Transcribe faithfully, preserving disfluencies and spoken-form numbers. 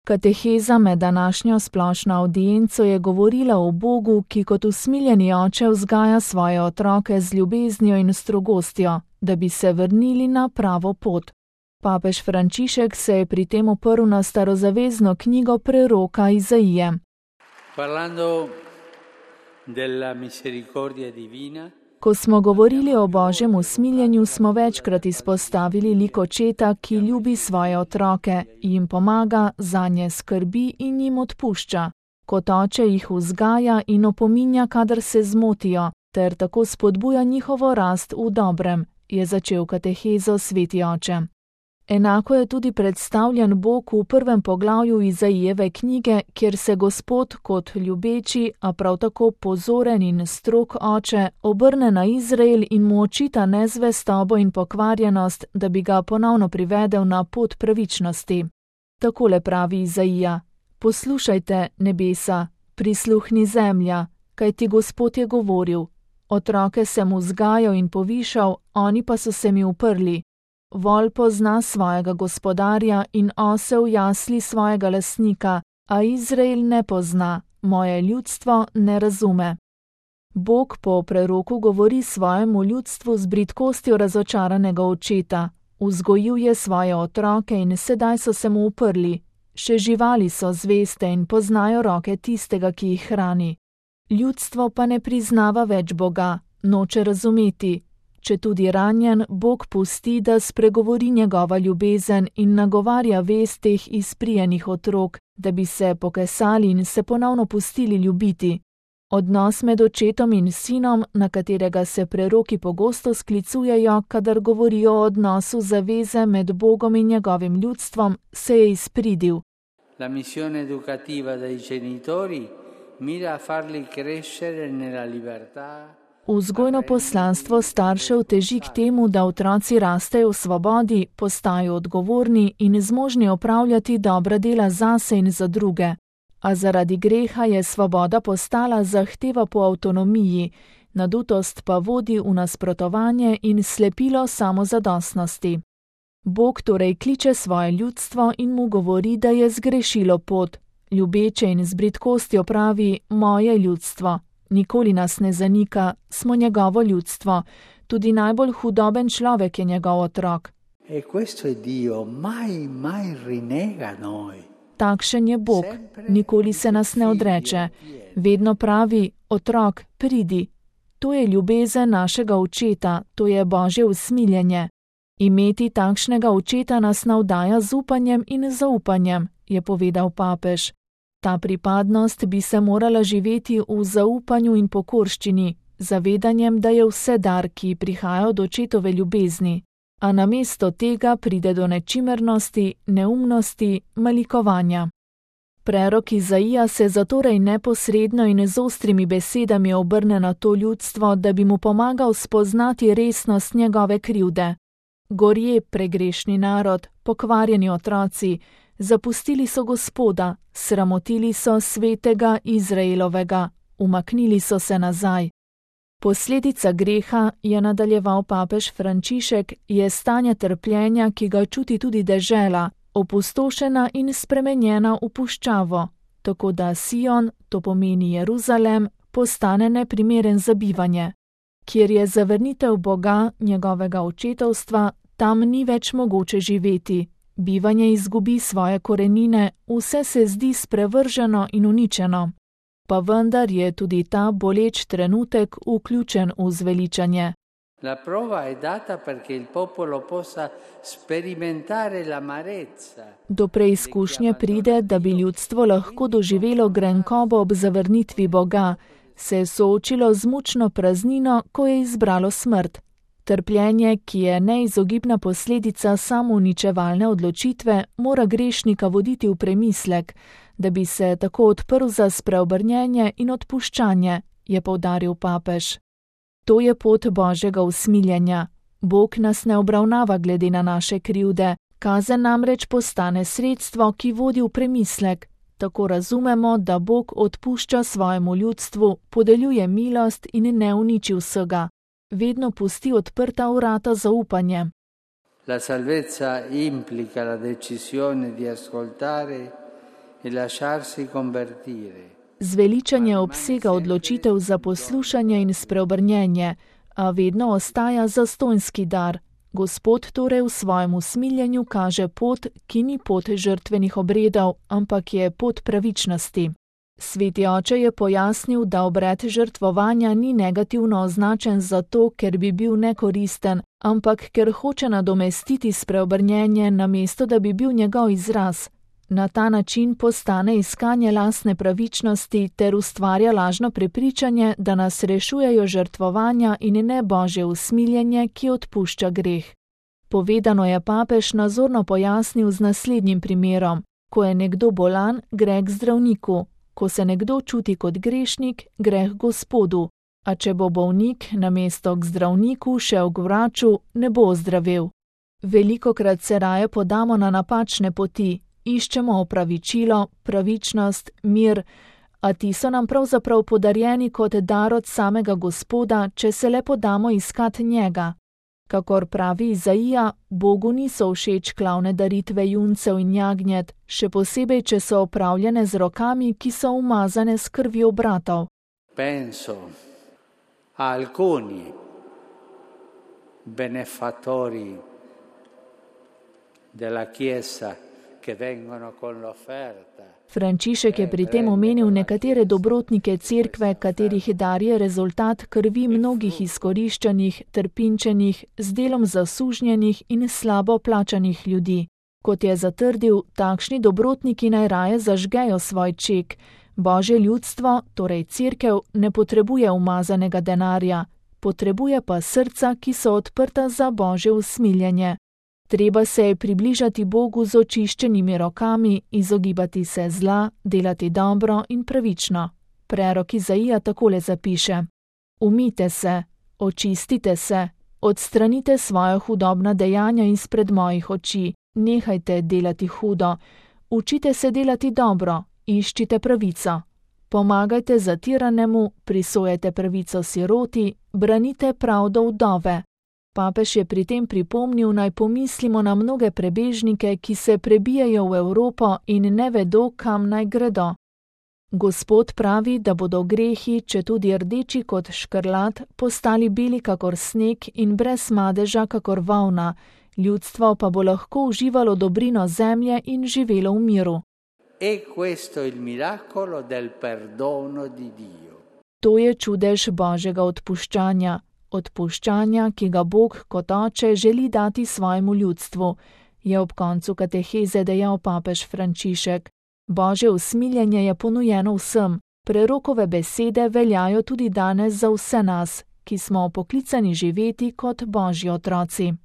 Kateheza med današnjo splošno avdienco je govorila o Bogu, ki kot usmiljeni oče vzgaja svoje otroke z ljubeznijo in strogostjo, da bi se vrnili na pravo pot. Papež Frančišek se je pri tem oprl na starozavezno knjigo preroka Izaije. Ko smo govorili o Božjem usmiljenju, smo večkrat izpostavili lik očeta, ki ljubi svoje otroke, jim pomaga, zanje skrbi in jim odpušča. Kot oče jih vzgaja in opominja, kadar se zmotijo, ter tako spodbuja njihovo rast v dobrem, je začel katehezo sveti oče. Enako je tudi predstavljen Bog v prvem poglavju Izaijeve knjige, kjer se Gospod kot ljubeči, a prav tako pozoren in strog oče obrne na Izrael in mu očita nezvestobo in pokvarjenost, da bi ga ponovno privedel na pot pravičnosti. Takole pravi Izaija: Poslušajte, nebesa, prisluhni zemlja, kajti Gospod je govoril. Otroke sem vzgajal in povišal, oni pa so se mi uprli. Vol pozna svojega gospodarja in osel jasli svojega lastnika, a Izrael ne pozna, moje ljudstvo ne razume. Bog po preroku govori svojemu ljudstvu z bridkostjo razočaranega očeta. Vzgojil je svoje otroke in sedaj so se mu uprli. Še živali so zveste in poznajo roke tistega, ki jih hrani. Ljudstvo pa ne priznava več Boga, noče razumeti. Če tudi ranjen, Bog pusti, da spregovori njegova ljubezen in nagovarja vest teh izprijenih otrok, da bi se pokesali in se ponovno pustili ljubiti. Odnos med očetom in sinom, na katerega se preroki pogosto sklicujejo, kadar govorijo o odnosu zaveze med Bogom in njegovim ljudstvom, se je izpridil. La missione educativa dei genitori mira a farli crescere nella libertà. Vzgojno poslanstvo staršev teži k temu, da otroci rastejo v svobodi, postajajo odgovorni in zmožni opravljati dobra dela zase in za druge. A zaradi greha je svoboda postala zahteva po avtonomiji, nadutost pa vodi v nasprotovanje in slepilo samozadostnosti. Bog torej kliče svoje ljudstvo in mu govori, da je zgrešilo pot. Ljubeče in z bridkostjo pravi: moje ljudstvo. Nikoli nas ne zanika, smo njegovo ljudstvo. Tudi najbolj hudoben človek je njegov otrok. E questo è Dio, mai, mai rinega noi. Takšen je Bog, nikoli se nas ne odreče. Vedno pravi: otrok, pridi. To je ljubezen našega očeta, to je Božje usmiljenje. Imeti takšnega očeta nas navdaja z upanjem in zaupanjem, je povedal papež. Ta pripadnost bi se morala živeti v zaupanju in pokorščini, zavedanjem, da je vse dar, ki prihaja od očetove ljubezni, a namesto tega pride do nečimernosti, neumnosti, malikovanja. Prerok Izaija se zatorej neposredno in z ostrimi besedami obrne na to ljudstvo, da bi mu pomagal spoznati resnost njegove krivde. Gorje, pregrešni narod, pokvarjeni otroci, zapustili so Gospoda, sramotili so svetega Izraelovega, umaknili so se nazaj. Posledica greha, je nadaljeval papež Frančišek, je stanje trpljenja, ki ga čuti tudi dežela, opustošena in spremenjena v puščavo, tako da Sion, to pomeni Jeruzalem, postane neprimeren za bivanje. Kjer je zavrnitev Boga, njegovega očetovstva, tam ni več mogoče živeti. Bivanje izgubi svoje korenine, vse se zdi sprevrženo in uničeno. Pa vendar je tudi ta boleč trenutek vključen v zveličanje. La prova è data perché il popolo possa sperimentare l'amarezza. Do preizkušnje pride, da bi ljudstvo lahko doživelo grenkobo ob zavrnitvi Boga, se je soočilo z mučno praznino, ko je izbralo smrt. Trpljenje, ki je neizogibna posledica samouničevalne odločitve, mora grešnika voditi v premislek, da bi se tako odprl za spreobrnjenje in odpuščanje, je poudaril papež. To je pot Božjega usmiljenja. Bog nas ne obravnava glede na naše krivde, kazen namreč postane sredstvo, ki vodi v premislek. Tako razumemo, da Bog odpušča svojemu ljudstvu, podeljuje milost in ne uniči vsega. Vedno pusti odprta vrata za upanje. La salvezza implica la decisione di ascoltare e lasciarsi convertire. Zveličanje obsega odločitev za poslušanje in spreobrnjenje, a vedno ostaja zastonjski dar. Gospod torej v svojem usmiljenju kaže pot, ki ni pot žrtvenih obredov, ampak je pot pravičnosti. Sveti oče je pojasnil, da obred žrtvovanja ni negativno označen zato, ker bi bil nekoristen, ampak ker hoče nadomestiti spreobrnjenje, namesto da bi bil njegov izraz. Na ta način postane iskanje lastne pravičnosti ter ustvarja lažno prepričanje, da nas rešujejo žrtvovanja in ne Božje usmiljenje, ki odpušča greh. Povedano je papež nazorno pojasnil z naslednjim primerom. Ko je nekdo bolan, gre k zdravniku. Ko se nekdo čuti kot grešnik, gre k Gospodu. A če bo bolnik namesto k zdravniku šel k vraču, ne bo ozdravel. Velikokrat se raje podamo na napačne poti. Iščemo opravičilo, pravičnost, mir, a ti so nam pravzaprav podarjeni kot dar od samega Gospoda, če se le podamo iskat njega. Kakor pravi Izaija, Bogu niso všeč klavne daritve juncev in jagnjet, še posebej, če so opravljene z rokami, ki so umazane s krvjo bratov. Penso a alcuni benefattori della Chiesa che vengono con l'offerta. Frančišek je pri tem omenil nekatere dobrotnike cerkve, katerih dar je rezultat krvi mnogih izkoriščanih, trpinčenih, z delom zasužnjenih in slabo plačanih ljudi. Kot je zatrdil, takšni dobrotniki najraje zažgejo svoj ček. Božje ljudstvo, torej cerkev, ne potrebuje umazanega denarja, potrebuje pa srca, ki so odprta za Božje usmiljenje. Treba se je približati Bogu z očiščenimi rokami, izogibati se zla, delati dobro in pravično. Prerok Izaija takole zapiše: Umijte se, očistite se, odstranite svoja hudobna dejanja izpred mojih oči, nehajte delati hudo, učite se delati dobro, iščite pravico. Pomagajte zatiranemu, prisojajte pravico siroti, branite pravdo vdove. Papež je pri tem pripomnil, naj pomislimo na mnoge prebežnike, ki se prebijajo v Evropo in ne vedo, kam naj gredo. Gospod pravi, da bodo grehi, če tudi rdeči kot škrlat, postali beli kakor sneg in brez madeža kakor volna, ljudstvo pa bo lahko uživalo dobrino zemlje in živelo v miru. E questo il miracolo del perdono di Dio. To je čudež Božjega odpuščanja. Odpuščanja, ki ga Bog kot oče želi dati svojemu ljudstvu, je ob koncu kateheze dejal papež Frančišek. Božje usmiljenje je ponujeno vsem, prerokove besede veljajo tudi danes za vse nas, ki smo poklicani živeti kot Božji otroci.